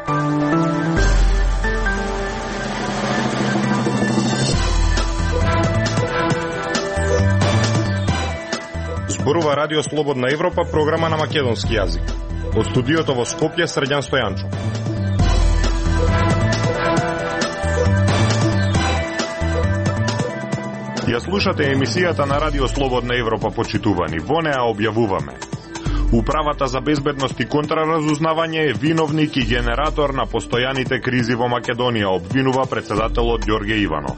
Зборува Радио Слободна Европа, програма на македонски јазик. Од студиото во Скопје, Срđan Стојанчов. Ја слушате емисијата на Радио Слободна Европа, почитувани. Во неа објавуваме: Управата за безбедност и контраразузнавање е виновник и генератор на постојаните кризи во Македонија, обвинува председателот Ѓорѓе Иванов.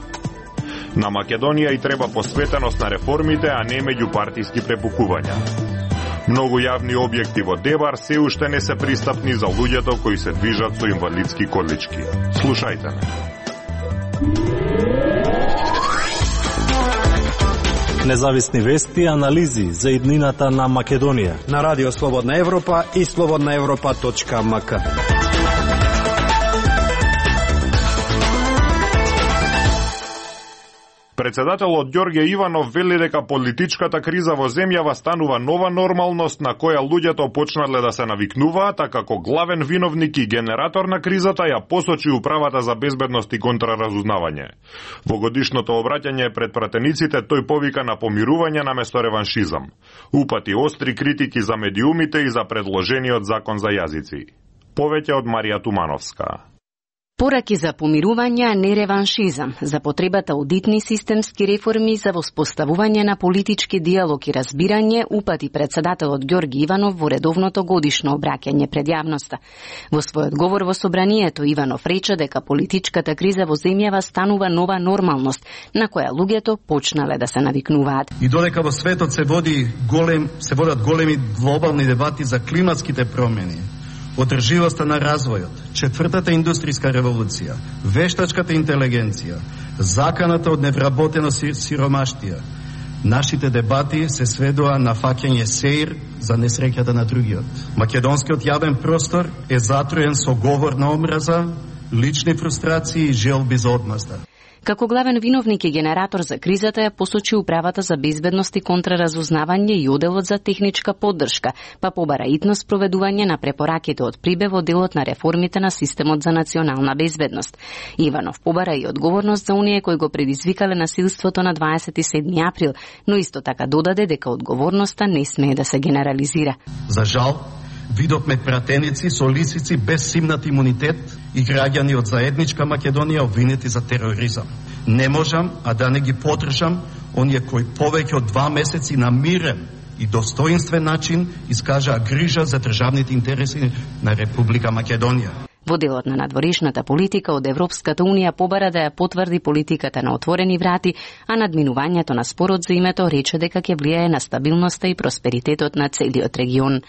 На Македонија и треба посветеност на реформите, а не меѓупартиски препукувања. Многу јавни објекти во Дебар се уште не се пристапни за луѓето кои се движат со инвалидски колички. Слушајте ме. Независни вести и анализи за иднината на Македонија на Радио Слободна Европа и slobodnaevropa.mk. Председателот Ѓорѓе Иванов вели дека политичката криза во земјава станува нова нормалност на која луѓето почнале да се навикнуваат, а како главен виновник и генератор на кризата ја посочи Управата за безбедност и контраразузнавање. Во годишното обраќање пред пратениците тој повика на помирување наместо реваншизам. Упати остри критики за медиумите и за предложениот закон за јазици. Повеќе од Марија Тумановска. Пораки за помирување, а не реваншизам, за потребата од итни системски реформи за воспоставување на политички диалог и разбирање, упати председателот Ѓорѓе Иванов во редовното годишно обраќање пред јавноста. Во својот говор во собранието, Иванов рече дека политичката криза во земјава станува нова нормалност, на која луѓето почнале да се навикнуваат. И додека во светот се водат големи глобални дебати за климатските промени, одрживоста на развојот, четвртата индустријска револуција, вештачката интелигенција, заканата од невработено сиромаштија, нашите дебати се сведоа на фаќање сеир за несреќата на другиот. Македонскиот јавен простор е затроен со говор на омраза, лични фрустрации и желби за одмазда. Како главен виновник и генератор за кризата ја посочи Управата за безбедност и контраразузнавање и Оделот за техничка поддршка, па побара итно спроведување на препораките од Прибе во делот на реформите на системот за национална безбедност. Иванов побара и одговорност за оние кои го предизвикале насилството на 27 април, но исто така додаде дека одговорноста не смее да се генерализира. За жал, видовме пратеници со лисици без симнат имунитет и граѓани од заедничка Македонија обвинети за тероризам. Не можам, а да не ги поддржам оние кои повеќе од 2 месеци на мирен и достоинствен начин искажаа грижа за државните интереси на Република Македонија. Во делот на надворешната политика од Европската Унија побара да ја потврди политиката на отворени врати, а надминувањето на спорот за името рече дека ќе влијае на стабилноста и просперитетот на целиот регион.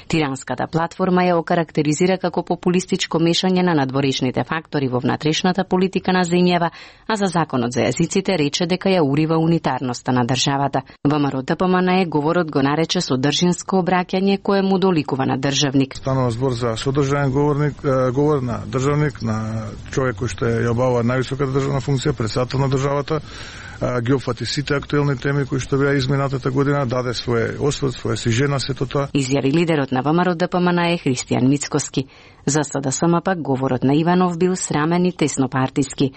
Тиранската платформа ја окарактеризира како популистичко мешање на надворешните фактори во внатрешната политика на земјава, а за законот за јазиците рече дека ја урива унитарноста на државата. ВМРО ДПМН говорот го нарече содржинско обраќање кое му доликува на државник. Станува збор за содржаен говор на државник, на човек кој што ја обавува највисоката државна функција, председател на државата, ги опфати сите актуелни теми кои што беа изминатата година, даде свој осврт, своја сижена сето тоа. Изјави лидерот на ВМРО ДПМН Христијан Мицкоски. За СДСМ пак говорот на Иванов бил срамен и теснопартиски.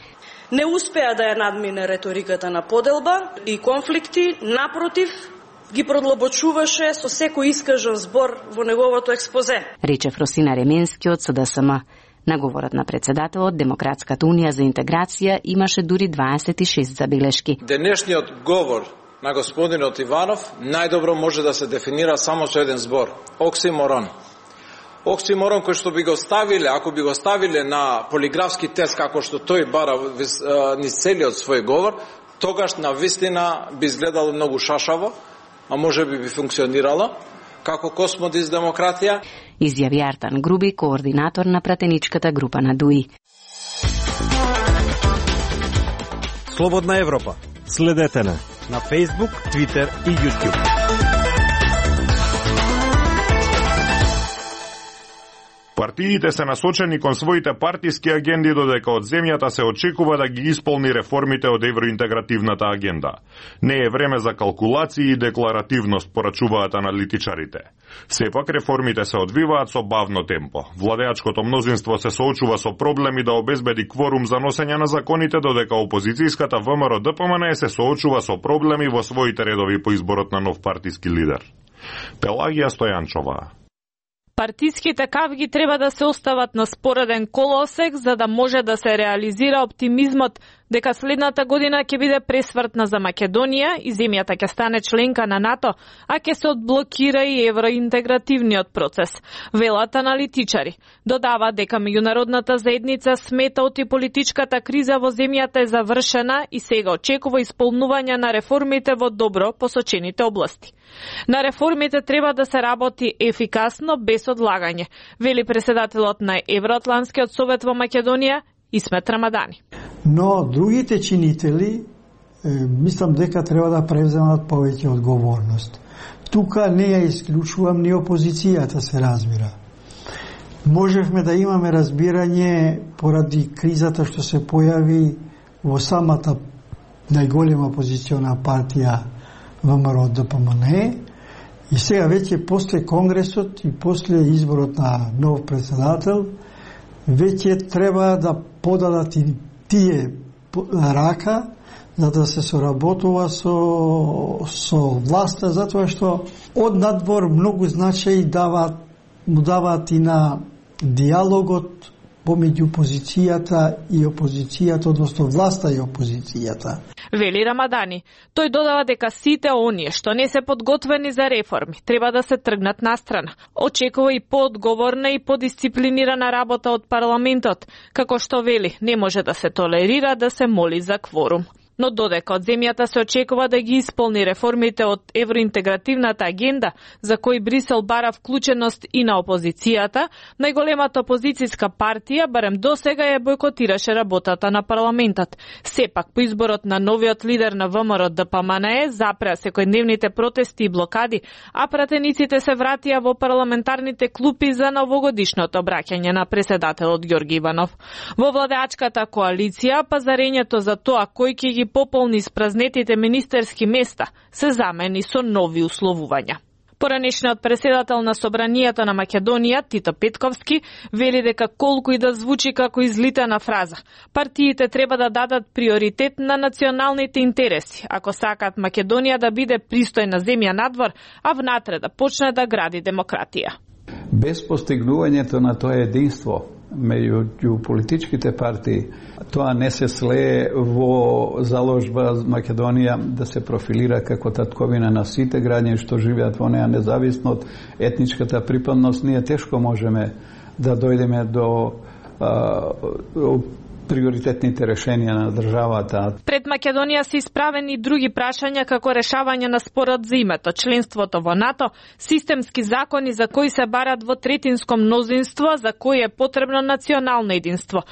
Не успеа да ја надмине реториката на поделба и конфликти, напротив, ги продлабочуваше со секој искажан збор во неговото експозе. Рече Росина Ременски од СДСМ. Наговорот на председателот Демократската унија за интеграција имаше дури 26 забелешки. Денешниот говор на господинот Иванов најдобро може да се дефинира само со еден збор – оксиморон. Оксиморон кој што би го ставиле, ако би го ставиле на полиграфски тест како што тој бара низ целиот свој говор, тогаш на вистина би изгледало многу шашаво, а може би функционирало како космодис демократија. Изјави Артан Груби, координатор на пратеничката група на ДУИ. Слободна Европа. Следете на Facebook, Twitter и YouTube. Партиите се насочени кон своите партиски агенди, додека од земјата се очекува да ги исполни реформите од евроинтегративната агенда. Не е време за калкулации и декларативност, порачуваат аналитичарите. Сепак реформите се одвиваат со бавно темпо. Владеачкото мнозинство се соочува со проблеми да обезбеди кворум за носење на законите, додека опозицијската ВМРО-ДПМНЕ се соочува со проблеми во своите редови по изборот на нов партиски лидер. Пелагија Стојанчова. Партиските кавги треба да се остават на спореден колосек за да може да се реализира оптимизмот дека следната година ќе биде пресвртна за Македонија и земјата ќе стане членка на НАТО, а ќе се одблокира и евроинтегративниот процес. Велат аналитичари. Додава дека меѓународната заедница смета оти политичката криза во земјата е завршена и сега очекува исполнување на реформите во добро посочените области. На реформите треба да се работи ефикасно без одлагање, вели председателот на Евроатланскиот совет во Македонија Исмет Рамадани. Но другите чинители мислам дека треба да превземат повеќе одговорност. Тука не ја исклучувам ни опозицијата, се разбира. Можевме да имаме разбирање поради кризата што се појави во самата најголема опозициона партија ВМРО-ДПМНЕ и сега веќе после Конгресот и после изборот на нов председател веќе треба да подадат и тие рака за да се соработува со власта, затоа што од надвор многу значај даваат и на диалогот помеѓу опозицијата, односно власта и опозицијата. Вели Рамадани. Тој додава дека сите оние што не се подготвени за реформи треба да се тргнат настрана. Очекува и поодговорна и подисциплинирана работа од парламентот, како што вели, не може да се толерира да се моли за кворум. Но додека од земјата се очекува да ги исполни реформите од евроинтегративната агенда, за кои Брисел бара вклученост и на опозицијата, најголемата опозицијска партија барем досега ја бойкотираше работата на парламентот. Сепак, по изборот на новиот лидер на ВМРО-ДПМНЕ запреа секојдневните протести и блокади, а пратениците се вратија во парламентарните клупи за новогодишното обраќање на председателот Ѓорги Иванов. Во владеачката коалиција, пазарењето за тоа кој ќе ги пополни испразнетите министерски места се замени со нови условувања. Поранешниот председател на Собранијата на Македонија, Тито Петковски, вели дека колку и да звучи како излитана фраза, партиите треба да дадат приоритет на националните интереси, ако сакаат Македонија да биде пристојна земја надвор, а внатре да почне да гради демократија. Без постигнувањето на тоа единство меѓу политичките партии, тоа не се слее во заложба Македонија да се профилира како татковина на сите граѓани што живеат во неа, независно од етничката припадност. Ние тешко можеме да дојдеме до приоритетните решенија на државата. Пред Македонија се исправени други прашања како решавање на спорот за името, членството во НАТО, системски закони за кои се барат во третинско мнозинство, за кои е потребно национално единство.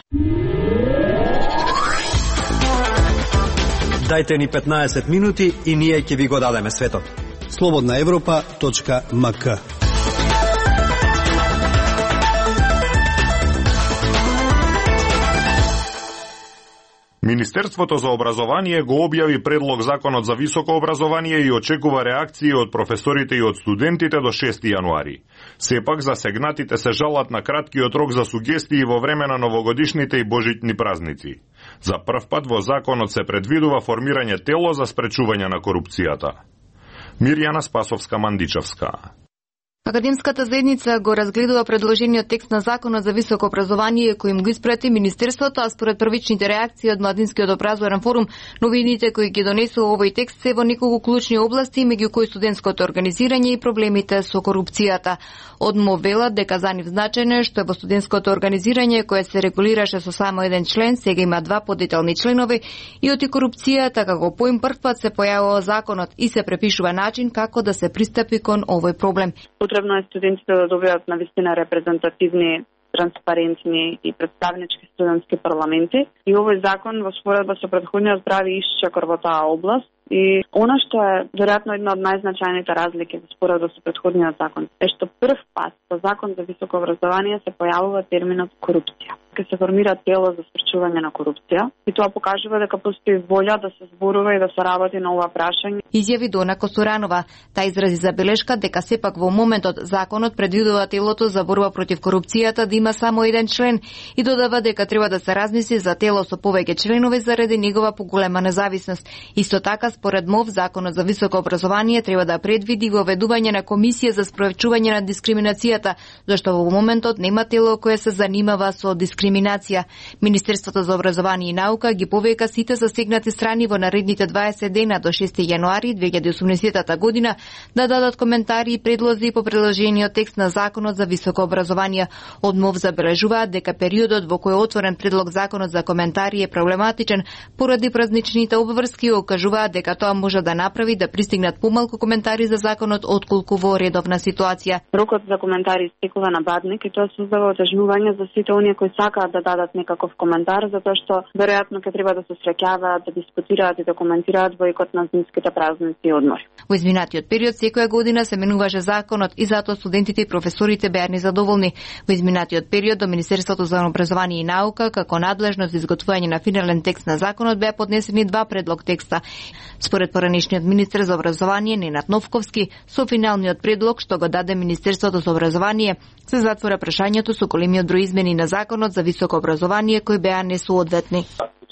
Дајте ни 15 минути и ние ќе ви го дадеме светот. slobodnaevropa.mk. Министерството за образование го објави предлог законот за високо образование и очекува реакции од професорите и од студентите до 6 јануари. Сепак засегнатите се жалат на краткиот рок за сугестии во време на новогодишните и божитни празници. За прв пат во законот се предвидува формирање тело за спречување на корупцијата. Мирјана Спасовска-Мандичевска. Академската заедница го разгледува предложениот текст на законот за високо образование кој им го испрати Министерството, а според првичните реакции од Младинскиот образовен форум, новините кои ги донесува овој текст се во неколку клучни области, меѓу кои студентското организирање и проблемите со корупцијата. Одмо велат дека за нив значајно е што во студентското организирање кое се регулираше со само еден член, сега има два подетелни членови и оти корупцијата како поим прв пат се појавува законот и се препишува начин како да се пристапи кон овој проблем. Потребно е студентите да добијат навистина репрезентативни, транспарентни и представнички студентски парламенти. И овој закон во споредба со претходниот прави исчекор во таа област. И она што е веројатно една од најзначајните разлики во споредба со претходниот закон е што прв пат во во Закон за високо образование се појавува терминот корупција. Ке се формира тело за спречување на корупција и тоа покажува дека постои волја да се зборува и да се работи на ова прашање. Изјави Дона Косоранова. Таа изрази забелешка дека сепак во моментот законот предвидува телото за борба против корупцијата да има само еден член и додава дека треба да се размисли за тело со повеќе членови заради негова поголема независност. Исто така, според МОВ, законот за високо образование треба да предвиди воведување на комисија за спровечување на дискриминацијата, зашто во моментот нема тело кое се занимава со дискриминација. Министерството за образование и наука ги повика сите засегнати страни во наредните 20 дена до 6 јануари 2018 година да дадат коментари и предлози по приложениот текст на законот за високо образование. Од МОВ забележуваат дека периодот во кој е отворен предлог законот за коментари е проблематичен поради празничните обврски и окажуваат дека тоа може да направи да пристигнат помалку коментари за законот отколку во редовна ситуација. Рокот за коментари истекува на бадник и тоа создава отежнување за сите оние кои сакаат да дадат некаков коментар, затоа што веројатно ќе треба да се среќаваат, да дискутираат и да коментираат во икот на зимските празници и одмори. Во изминатиот период секоја година се менуваше законот и затоа студентите и професорите беа незадоволни. Во изминатиот период до Министерството за образование и наука како надлежност за изготвување на финален текст на законот беа поднесени два предлог текста. Според поранешниот министер за образование Ненад Новковски, со финалниот предлог што го даде Министерството за образование, се затвора прашањето со големиот број измени на законот за високо образование кои беа несоодветни.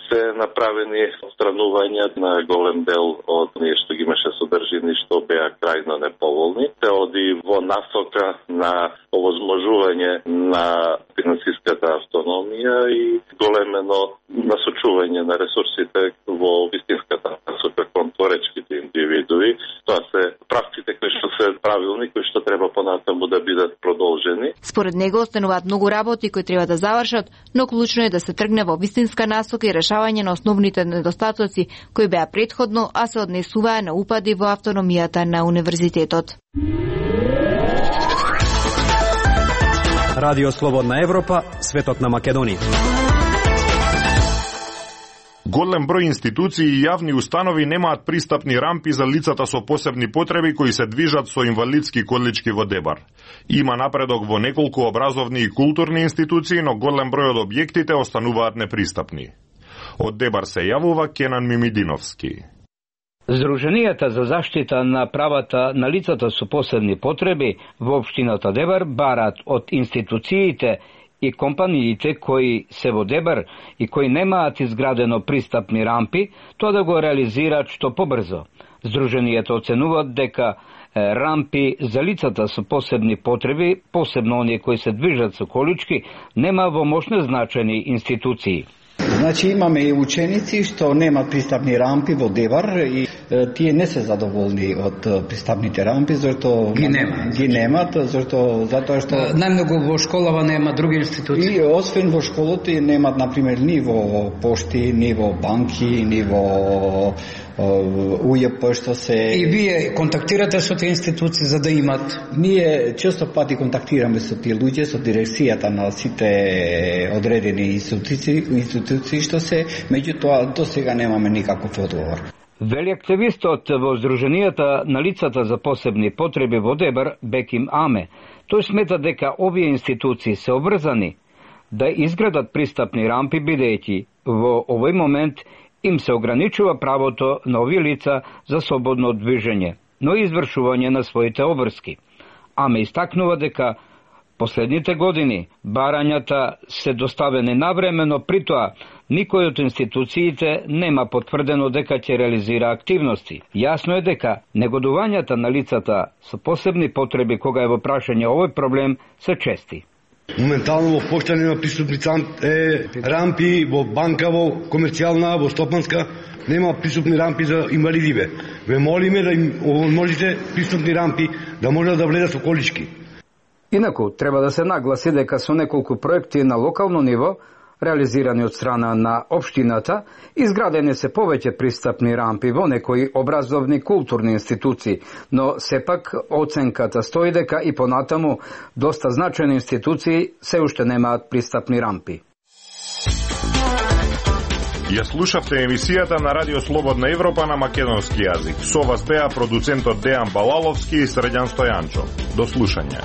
Се направени отстранувања на голем дел од ние што ги имаше содржини што беа крајно неповолни. Се оди во насока на овозможување на финансиската автономија и големено насочување на ресурсите во вистинската насока кон творечките индивидуи. Тоа се практиките кои што се правилни, кои што треба понатаму да бидат продолжени. Според него остануваат многу работи кои треба да завршат, но клучно е да се тргне во вистинска насока и решавање на основните недостатоци кои беа претходно, а се однесуваа на упади во автономијата на универзитетот. Радио Слободна Европа, светот на Македонија. Голем број институции и јавни установи немаат пристапни рампи за лицата со посебни потреби кои се движат со инвалидски колички во Дебар. Има напредок во неколку образовни и културни институции, но голем број од објектите остануваат непристапни. Од Дебар се јавува Кенан Мимидиновски. Здруженијата за заштита на правата на лицата со посебни потреби во општината Дебар барат од институциите и компаниите кои се во Дебар и кои немаат изградено пристапни рампи, тоа да го реализираат што побрзо. Здруженијата оценуваат дека рампи за лицата со посебни потреби, посебно оние кои се движат со колички, нема во мощно значени институции. Значи имаме и ученици што немаат пристапни рампи во Дебар и тие не се задоволни од пристапните рампи зашто ги немаат затоа што најмногу во школава нема други институции. И освен во школото немаат на пример ни во пошти, ни во банки, ни во УЈП што се. И вие контактирате со тие институции за да имат? Ние често пати контактираме со тие луѓе, со дирекцијата на сите одредени институции што се, меѓутоа до сега немаме никаков одговор. Вели активистот во Здруженијата на лицата за посебни потреби во Дебар Беким Аме. Тој смета дека овие институции се обврзани да изградат пристапни рампи бидејќи во овој момент им се ограничува правото на овие лица за слободно движење, но и извршување на своите обврски. Аме истакнува дека последните години барањата се доставени навремено, притоа никој од институциите нема потврдено дека ќе реализира активности. Јасно е дека негодувањата на лицата со посебни потреби кога е во прашање овој проблем се чести. Моментално во пошта нема пристапни рампи, во банка, во комерцијална, во стопанска, нема пристапни рампи за инвалидиве. Ве молиме да им можете пристапни рампи, да можат да влезат со колички. Инаку, треба да се нагласи дека со неколку проекти на локално ниво, реализирани од страна на општината, изградени се повеќе пристапни рампи во некои образовни културни институции, но сепак оценката стои дека и понатаму доста значени институции се уште немаат пристапни рампи. Ја слушавте емисијата на Радио Слободна Европа на македонски јазик. Со вас беа продуцентот Дејан Балаловски и Средјан Стојанчо. До слушање.